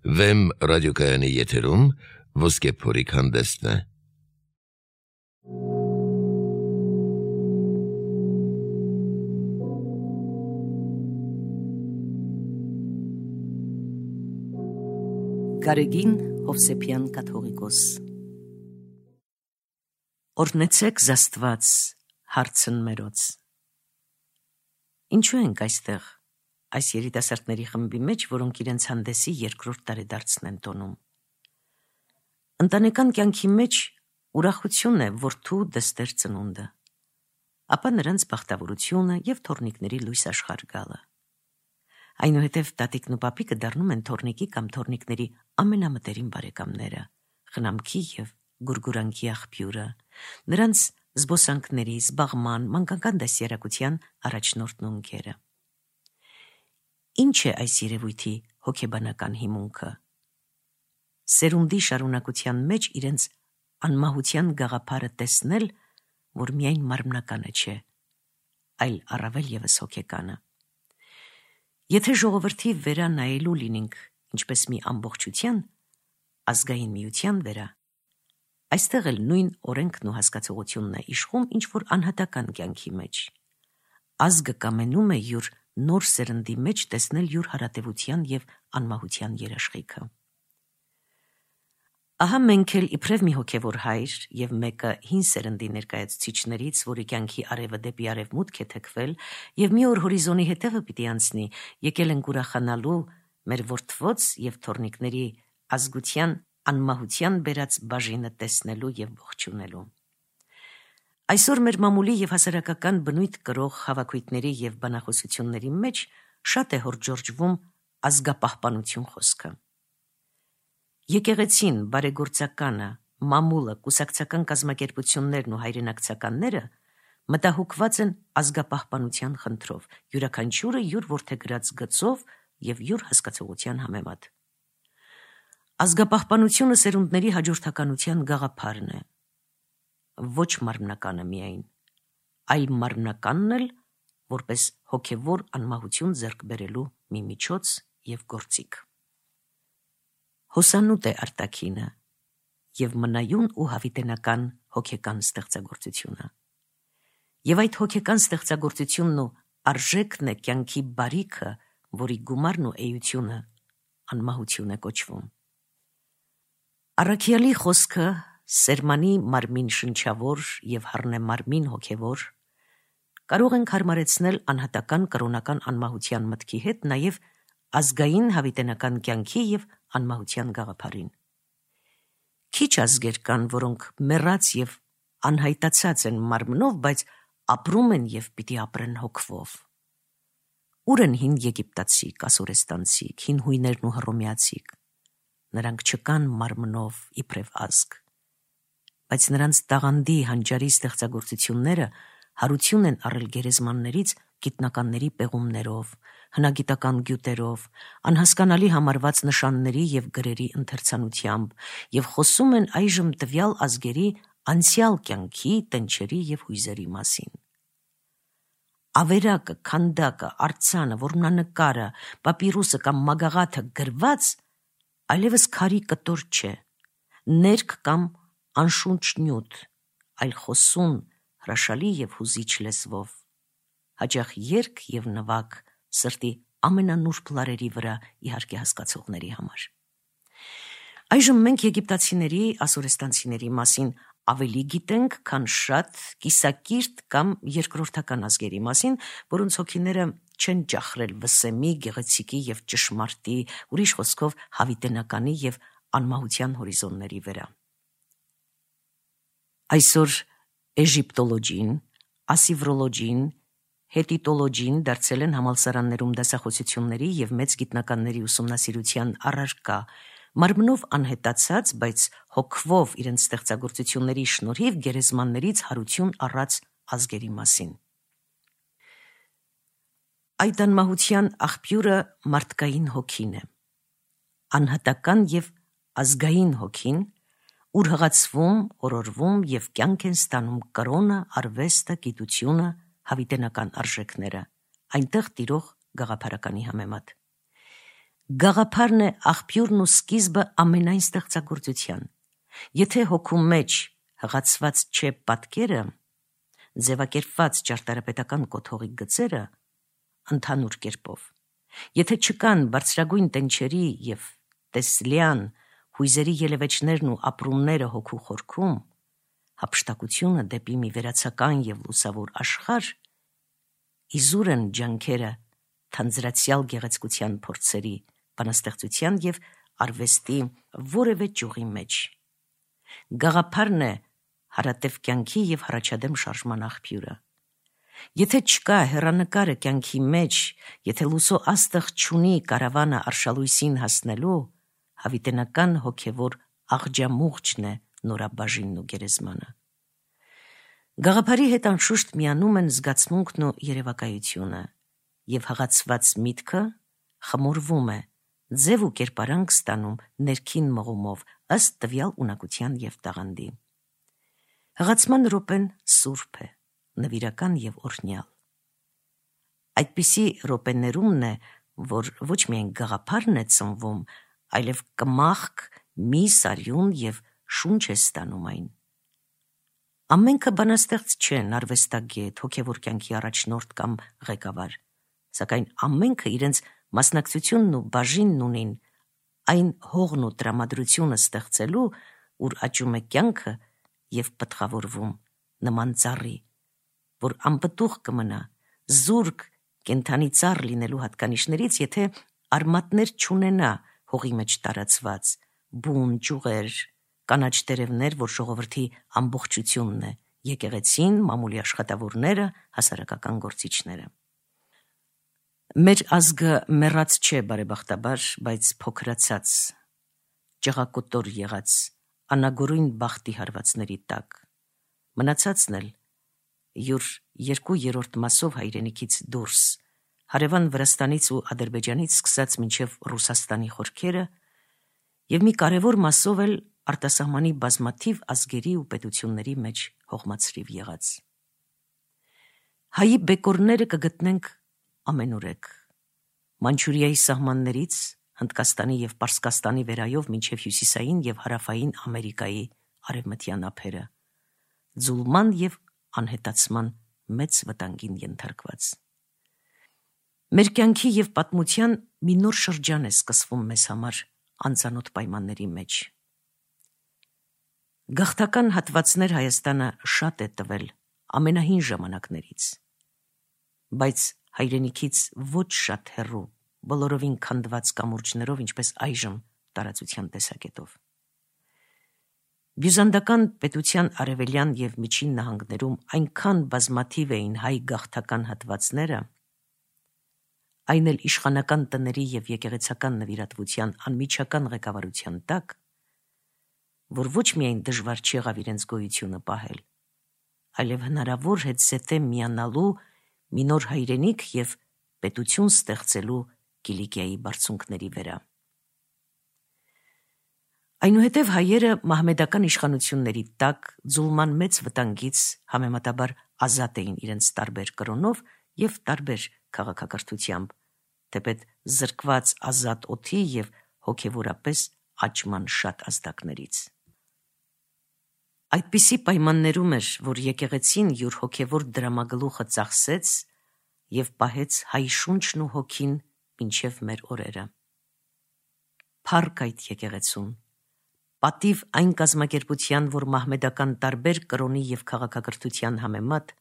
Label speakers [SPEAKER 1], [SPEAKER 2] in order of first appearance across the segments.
[SPEAKER 1] Վեմ ռադիոկայանի եթերում ոսկե փորիկ հանդեսն է։
[SPEAKER 2] Գարեգին Հովսեփյան կաթողիկոս։ Օրհնեցեք Աստված հարցն մերոց։ Ինչու ենք այստեղ, այս երիտասարդների խմբի մեջ, որոնք իրենց հանդեսի երկրորդ տարեդարձն են տոնում։ Ընտանեկան կյանքի մեջ ուրախություն է որդու դստեր ծնունդը, ապա նրանց բախտավորությունը և թոռնիկների լույս աշխարհ գալը։ Այնուհետև տատիկն ու պապիկը դառնում են թոռնիկի կամ թոռնիկների ամենամտերիմ բարեկամները, խնամքի և գուրգուրանքի աղբյուրը, նրանց զբոսանքների, զբաղման, մանկական դաստիարակության առաջնորդն ու ընկերը։ Ինչ է այս երևույթի հոգեբանական հիմունքը։ Սերունդի շարունակության մեջ իրենց անմահության գաղափարը տեսնել, որ միայն մարմնականը չէ, այլ առավել ևս հոգեկանը։ Եթե ժողովրդի վերա նայելու լինենք ինչպես մի ամբողջության, ազգային միության վերա, այստեղ էլ նույն օրենքն ու հասկացողությունն է իշխում ինչ-որ անհատական կյանքի մեջ։ Ազգը կամենում է յուր նոր սերնդի մեջ տեսնել յուր հարատևության և անմահության երաշխիքը։ Ահա մենք էլ իբրև մի հոգևոր հայր և մեկը հին սերնդի ներկայացուցիչներից, որի կյանքի արևը դեպի արևմուտք է թեքվել և մի օր հորիզոնի հետևը պիտի անցնի, եկել ենք ուրախանալու մեր որդվոց և թոռնիկների ազգության անմահության բերած բաժինը տեսնելու և ողջունելու։ Այսօր մեր մամուլի և հասարակական բնույթ կրող հավաքույթների և բանախոսությունների մեջ շատ է հորդժորջվում ազգապահպանություն խոսքը։ Եկեղեցին, բարեգործականը, մամուլը, կուսակցական կազմակերպություններն ու հայրենակցականները մտահոգված են ազգապահպանության խնդրով, յուրաքանչյուրը յուր որդեգրած գծով և յուր հասկացողության համեմատ։ Ազգապահպանությունը սերունդների հաջորդականության գաղափարն է, ոչ մարմնականը միայն, այլ մարմնականն էլ որպես հոգևոր անմահություն ձեռք բերելու մի միջոց և գործիք։ Հոսանուտ է արտաքինը և մնայուն ու հավիտենական հոգեկան ստեղծագործությունը։ Եվ այդ հոգեկան ստեղծագործությունն ու արժեքն է կյանքի բարիքը, որի գումարն ու էությունը անմահություն է կոչվում։ Առաքյալի խոսքը սերմանի մարմին շնչավոր և հառնե մարմին հոգևոր կարող ենք հարմարեցնել անհատական կրոնական անմահության մտքի հետ նաև ազգային հավիտենական կյանքի և անմահության գաղափարին։ Քիչ ազգեր կան, որոնք մեռած և անհայտացած են մարմնով, բայց ապրում են և պիտի ապրեն հոգվով։ Ուր են հին եգիպտացիք, ասորեստանցիք, հին հույներն ու հռոմեացիք։ Նրանք չկան մարմնով իբրև ազգ, բայց նրանց տաղանդի հանճարի ստեղծագործությունները հարություն են առել գերեզմաններից գիտնականների պեղումներով, հնագիտական գյուտերով, անհասկանալի համարված նշանների և գրերի ընթերցանությամբ և խոսում են այժմ տվյալ ազգերի անցյալ կյանքի, տնչերի և հույզերի մասին։ Ավերակը, քանդակը, արձանը, որմնանկարը, պապիրուսը կամ մագաղաթը գրված այլևս քարի կտոր չէ, ներք կամ անշունչ նյութ, այլ խոսուն, հրաշալի և հուզիչ լեզվով, հաճախ երգ և նվագ սրտի ամենանուրբ լարերի վրա, իհարկե հասկացողների համար։ Այժմ մենք եգիպտացիների, ասորեստանցիների մասին ավելի գիտենք, քան շատ կիսակիրթ կամ երկրորդական ազգերի մասին, որոնց հոգիները չեն ճախրել վսեմի, գեղեցիկի և ճշմարտի, ուրիշ խոսքով հավիտենականի և անմահության հորիզոնների վրա։ Այսօր էժիպտոլոգին, ասիվրոլոգին, հետիտոլոգին դարձել են համալսարաններում դասախոսությունների և մեծ գիտնականների ուսումնասիրության առարկա, մարմնով անհետացած, բայց հոգվով իրենց ստեղծագործությունների շնորհիվ գերեզմաններից հարություն առած ազգերի մասին։ Այդ անմահության աղբյուրը մարդկային հոգին է, անհատական և ազգային հոգին, ուր հղացվում, օրորվում և կյանք են ստանում կրոնը, արվեստը, գիտությունը, հավիտենական արժեքները, այնտեղ տիրող գաղափարականի համեմատ։ Գաղափարն է աղբյուրն ու սկիզբը ամենայն ստեղծագործության։ Եթե հոգու մեջ հղացված չէ պատկերը, ձևակերպված ճարտարապետական կոթողի գծերը, ընդհանուր կերպով, եթե չկան բարձրագույն տենչերի և տեսլյան հույզերի ելևէջներն ու ապրումները հոգու խորքում, հափշտակությունը դեպի մի վերացական և լուսավոր աշխարհ, իզուր են ջանքերը թանձրացյալ գեղեցկության փորձերի, բանաստեղծության և արվեստի որևէ ճյուղի մեջ։ Գաղափարն է հարատև կյանքի և հառաջադեմ շարժման աղբյուրը։ Եթե չկա հեռանկարը կյանքի մեջ, եթե լուսո աստղ չունի կարավանը արշալույսին հասնելու, հավիտենական հոգևոր աղջամուղջն է նորաբաժինն ու գերեզմանը։ Գաղափարի հետ անշուշտ միանում են զգացմունքն ու երևակայությունը, և հղացված միտքը խմորվում է, ձև ու կերպարանք ստանում ներքին մղումով, ըստ տվյալ ունակության և տաղանդի։ Հղացման րոպեն սուրբ է, նվիրական և օրհնյալ։ Այդպիսի րոպեներումն է, որ ոչ միայն գաղափարն է ծնվում, այլև կմախք մի սարյուն և շունչ է ստանում այն։ Ամենքը բանաստեղծ չեն, արվեստագետ, հոգևոր կյանքի առաջնորդ կամ ղեկավար, սակայն ամենքը իրենց մասնակցությունն ու բաժինն ունին այն հողն ու տրամադրությունը ստեղծելու, ուր աճում է կյանքը և պտղավորվում նման ծառի, որ անպտուղ կմնա, զուրկ կենդանի ծառ լինելու հատկանիշներից, եթե արմատներ չունենա հողի մեջ տարածված, բուն, ճյուղեր, կանաչ տերևներ, որ ժողովրդի ամբողջությունն է, եկեղեցին, մամուլի աշխատավորները, հասարակական գործիչները։ Մեր ազգը մեռած չէ բարեբախտաբար, բայց փոքրացած, ճղակոտոր եղած, անագորույն բախտի հարվածների տակ, մնացածն էլ յուր 2/3 մասով հայրենիքից դուրս, հարևան Վրաստանից ու Ադրբեջանից սկսած մինչև Ռուսաստանի խորքերը, և մի կարևոր մասով էլ արտասահմանի բազմաթիվ ազգերի ու պետությունների մեջ հողմացրիվ եղած։ Հայի բեկորները կգտնենք ամենուրեք, Մանչուրիայի սահմաններից, Հնդկաստանի և Պարսկաստանի վերայով մինչև հյուսիսային և հարավային Ամերիկայի արևմտյան ափերը, ձուլման և անհետացման մեծ վտանգին ենթարկված։ Մեր կյանքի և պատմության մի նոր շրջան է սկսվում մեզ համար անծանոթ պայմանների մեջ։ Գաղթական հատվածներ Հայաստանը շատ է տվել ամենահին ժամանակներից, բայց հայրենիքից ոչ շատ հեռու, բոլորովին քանդված կամուրջներով, ինչպես այժմ տարածության տեսակետով։ Բյուզանդական պետության արևելյան և միջին նահանգներում այնքան բազմաթիվ էին հայ գաղթական հատվածները, այն էլ իշխանական տների և եկեղեցական նվիրատվության անմիջական ղեկավարության տակ, որ ոչ միայն դժվար չեղավ իրենց գոյությունը պահել, այլև հնարավոր հետզհետե միանալու մի նոր հայրենիք և պետություն ստեղծելու Կիլիկիայի բարձունքների վրա։ Այնուհետև հայերը մահմեդական իշխանությունների տակ ձուլման մեծ վտանգից համեմատաբար ազատ էին իրենց տարբեր կրոնով և տարբեր քաղաքակրթությամբ, թեպետ զրկված ազատ օդի և հոգևորապես աճման շատ ազդակներից։ Այդպիսի պայմաններում էր, որ եկեղեցին յուր հոգևոր դրամագլուխը ծախսեց և պահեց հայ շունչն ու հոգին մինչև մեր օրերը։ Փառք այդ եկեղեցուն, պատիվ այն կազմակերպության, որ մահմեդական տարբեր կրոնի և քաղաքակրթության համեմատ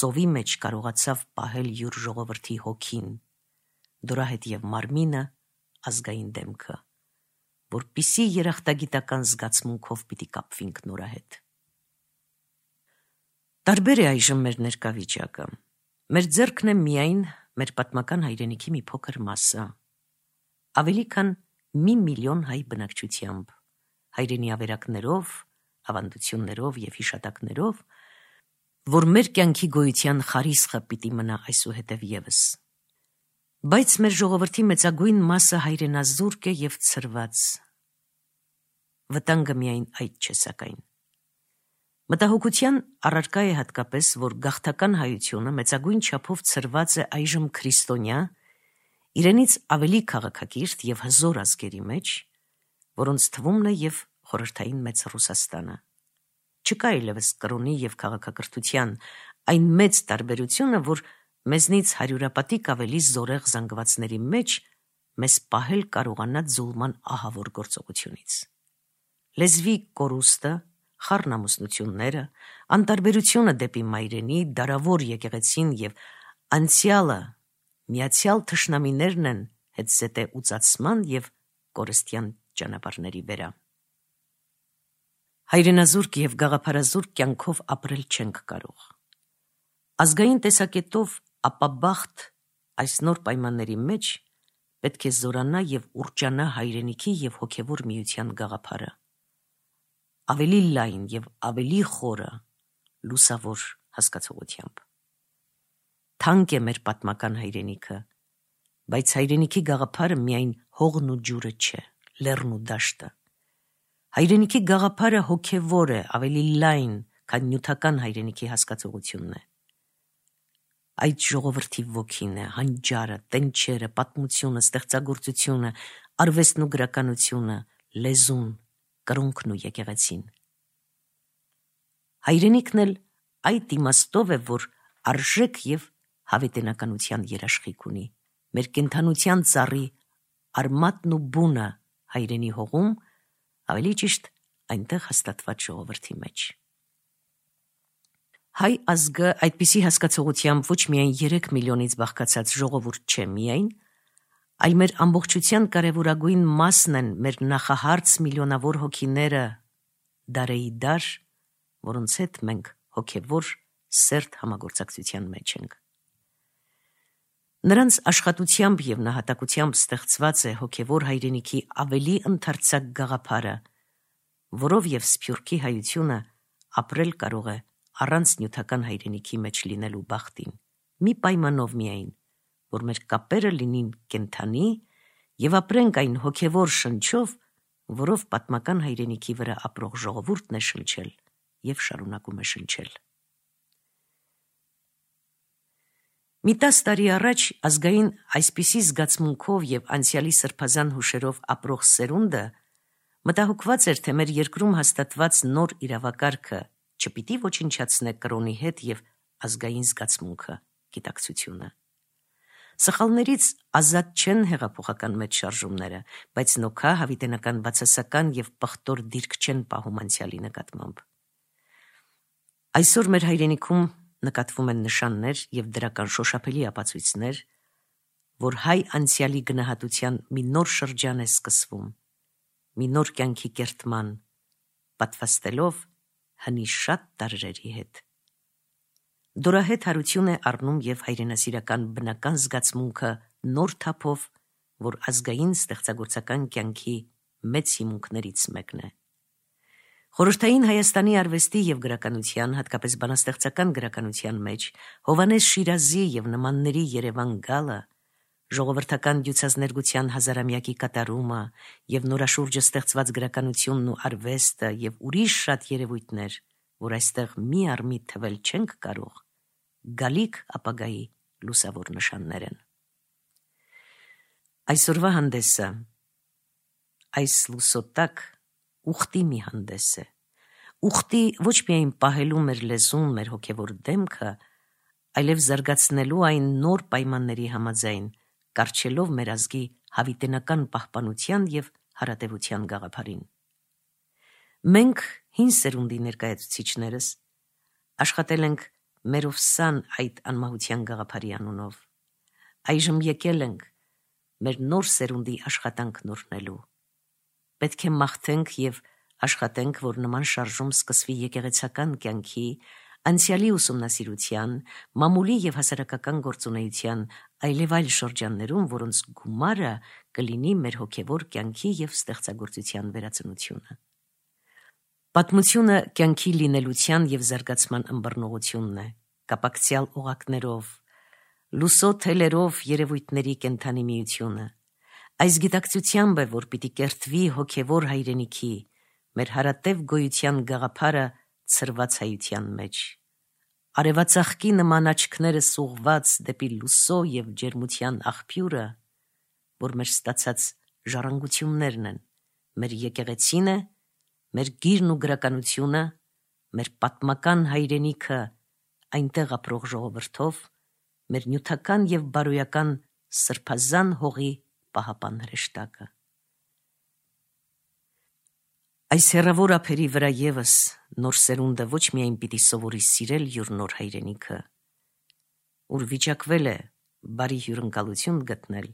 [SPEAKER 2] ծովի մեջ կարողացավ պահել յուր ժողովրդի հոգին, դորահետ և մարմինը, ազգային դեմքը, որպիսի երախտագիտական զգացմունքով պիտի կապվինք նորահետ։ Տարբեր է այժմ մեր ներկա վիճակը։ Մեր ձեռքն է միայն մեր պատմական հայրենիքի մի փոքր մասը, ավելի քան 1 միլիոն հայ բնակչությամբ, հայրենի ավերակներով, ավանդություններով և հիշատակներով, որ մեր կյանքի գոյության խարիսխը պիտի մնա այսուհետև ևս։ Բայց մեր ժողովրդի մեծագույն մասը հայրենազուրկ է և ցրված։ Վտանգը միայն այդ չէ սակայն։ Մտահոգության առարկա է հատկապես, որ գաղթական հայությունը մեծագույն չափով ցրված է այժմ քրիստոնյա իրենից ավելի քաղաքակիրթ եւ հզոր ազգերի մեջ, որոնց թվումն է եւ խորհրդային մեծ Ռուսաստանը։ Չկա այլևս կրոնի եւ քաղաքակրթության այն մեծ տարբերությունը, որ մեզնից հարյուրապատիկ ավելի զորեղ զանգվածների մեջ մեզ պահել կարողանա ձուլման ահավոր գործողությունից։ Լեզվի կորուստը, խառնամուսնությունները, անտարբերությունը դեպի մայրենի, դարավոր եկեղեցին եւ անցյալը միացյալ թշնամիներն են հետզհետե ուծացման եւ կորստյան ճանապարհների վրա։ Հայրենազուրկ եւ գաղափարազուրկ կյանքով ապրել չենք կարող։ Ազգային տեսակետով ապաբախտ այս նոր պայմանների մեջ պետք է զորանա եւ ուռճանա հայրենիքի եւ հոգեվոր միության գաղափարը։ Ավելի լայն եւ ավելի խորը լուսավոր հասկացողությամբ։ Թանկ է մեր պատմական հայրենիքը, բայց հայրենիքի գաղափարը միայն հողն ու ջուրը չէ, լեռն ու դաշտը։ Հայրենիքի գաղափարը հոգևոր է, ավելի լայն, քան նյութական հայրենիքի հասկացողությունն է։ Այդ ժողովրդի ոգին է, հանճարը, տենչերը, պատմությունը, ստեղծագործությունը, արվեստն ու գրականությունը, լեզուն, կրոնքն ու եկեղեցին։ Հայրենիքն էլ այդ իմաստով է, որ արժեք եւ հավիտենականության երաշխիք ունի։ Մեր կենդանության ծառի արմատն ու բունը հայրենի հողում, ավելի ճիշտ այնտեղ հաստատված ժողովրդի մեջ։ Հայ ազգը այդպիսի հասկացողությամբ ոչ միայն 3 միլիոնից բաղկացած ժողովուրդ չէ միայն, այլ մեր ամբողջության կարևորագույն մասն են մեր նախահարց միլիոնավոր հոգիները դարեի դար, որոնց հետ մենք հոգևոր սերտ համագործակցության մեջ ենք։ Նրանց աշխատությամբ եւ նահատակությամբ ստեղծված է հոգևոր հայրենիքի ավելի ընդարձակ գաղափարը, որով եւ Սփյուռքի հայությունը ապրել կարող է առանց նյութական հայրենիքի մեջ լինելու բախտին, մի պայմանով միայն, որ մեր կապերը լինին կենդանի եւ ապրենք այն հոգևոր շնչով, որով պատմական հայրենիքի վրա ապրող ժողովուրդն է շնչել եւ շարունակում է շնչել։ Մի 10 տարի առաջ ազգային այսպիսի զգացմունքով եւ անցյալի սրբազան հուշերով ապրող սերունդը մտահոգված էր, թե մեր երկրում հաստատված նոր իրավակարգը չպիտի ոչնչացնե կրոնի հետ եւ ազգային զգացմունքը, գիտակցությունը։ Սխալներից ազատ չեն հեղափոխական մեծ շարժումները, բայց նոքա հավիտենական բացասական եւ պղտոր դիրք չեն պահում անցյալի նկատմամբ։ Այսօր մեր հայրենիքում նկատվում են նշաններ եւ դրական շոշափելի ապացույցներ, որ հայ անցյալի գնահատության մի նոր շրջան է սկսվում, մի նոր կյանքի կերտման, պատվաստելով հնի շատ տարրերի հետ։ Դորահետ հարություն է առնում եւ հայրենասիրական բնական զգացմունքը նոր թափով, որ ազգային ստեղծագործական կյանքի մեծ հիմունքներից մեկն է։ Խորհրդային Հայաստանի արվեստի եւ գրականության, հատկապես բանաստեղծական գրականության մեջ Հովհաննես Շիրազի եւ նմանների Երևան գալը, ժողովրդական դյուցազներգության հազարամյակի կատարումը եւ նորաշուրջը ստեղծված գրականությունն ու արվեստը եւ ուրիշ շատ երևույթներ, որ այստեղ մի առ մի թվել չենք կարող, գալիք ապագայի լուսավոր նշաններ են։ Այսօրվա հանդեսը այս լուսոտակ ուխտի մի հանդես է։ Ուխտի ոչ միայն պահելու մեր լեզուն, մեր հոգևոր դեմքը, այլև զարգացնելու այն նոր պայմանների համաձայն, կառչելով մեր ազգի հավիտենական պահպանության եւ հարատեվության գաղափարին։ Մենք հին սերունդի ներկայացուցիչներս աշխատել ենք մեր ովսան այդ անմահության գաղափարի անունով։ Այժմ եկել ենք մեր նոր սերունդի աշխատանքն օրհնելու։ Պետք է մաղթենք եւ աշխատենք, որ նման շարժում սկսվի եկեղեցական կյանքի, անցյալի ուսումնասիրության, մամուլի եւ հասարակական գործունեության, այլև այլ շրջաններում, որոնց գումարը կլինի մեր հոգևոր կյանքի եւ ստեղծագործության վերածնությունը։ Պատմությունը կյանքի լինելության եւ զարգացման ըմբռնողությունն է, կապակցյալ օղակներով, լուսո թելերով երևույթների կենդանի միությունը։ Այս գիտակցությամբ է, որ պիտի կերտվի հոգևոր հայրենիքի, մեր հարատև գոյության գաղափարը ցրված հայության մեջ։ Արևածաղկի նման աչքները սուղված դեպի լուսո եւ ջերմության աղբյուրը, որ մեր ստացած ժառանգություններն են, մեր եկեղեցին է, մեր գիրն ու գրականությունը, մեր պատմական հայրենիքը այնտեղ ապրող ժողովրդով, մեր նյութական և բարոյական սրբազան հողի պահապան հրեշտակը։ Այս հեռավոր ափերի վրա ևս նոր սերունդը ոչ միայն պիտի սովորի սիրել յուր նոր հայրենիքը, ուր վիճակվել է բարի հյուրընկալություն գտնել,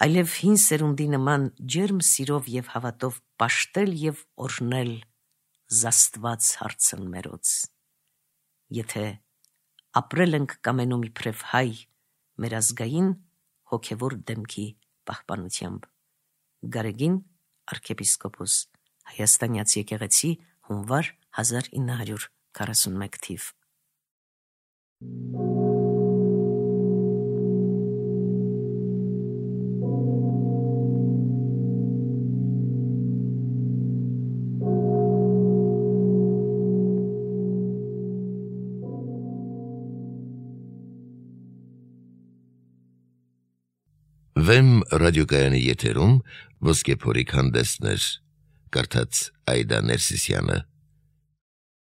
[SPEAKER 2] այլև հին սերունդի նման ջերմ սիրով և հավատով պաշտել և օրհնել զաստված հարցն մերոց, եթե ապրել ենք կամենում իբրև հայ մեր ազգային հոգևոր դեմքի պահպանությամբ։ Գարեգին արքեպիսկոպոս, Հայաստանյաց եկեղեցի, հունվար 1941 թիվ։
[SPEAKER 1] Վեմ ռադիոկայանի եթերում ոսկե փորիկ հանդեսներ, կարդաց Այդա Ներսիսյանը։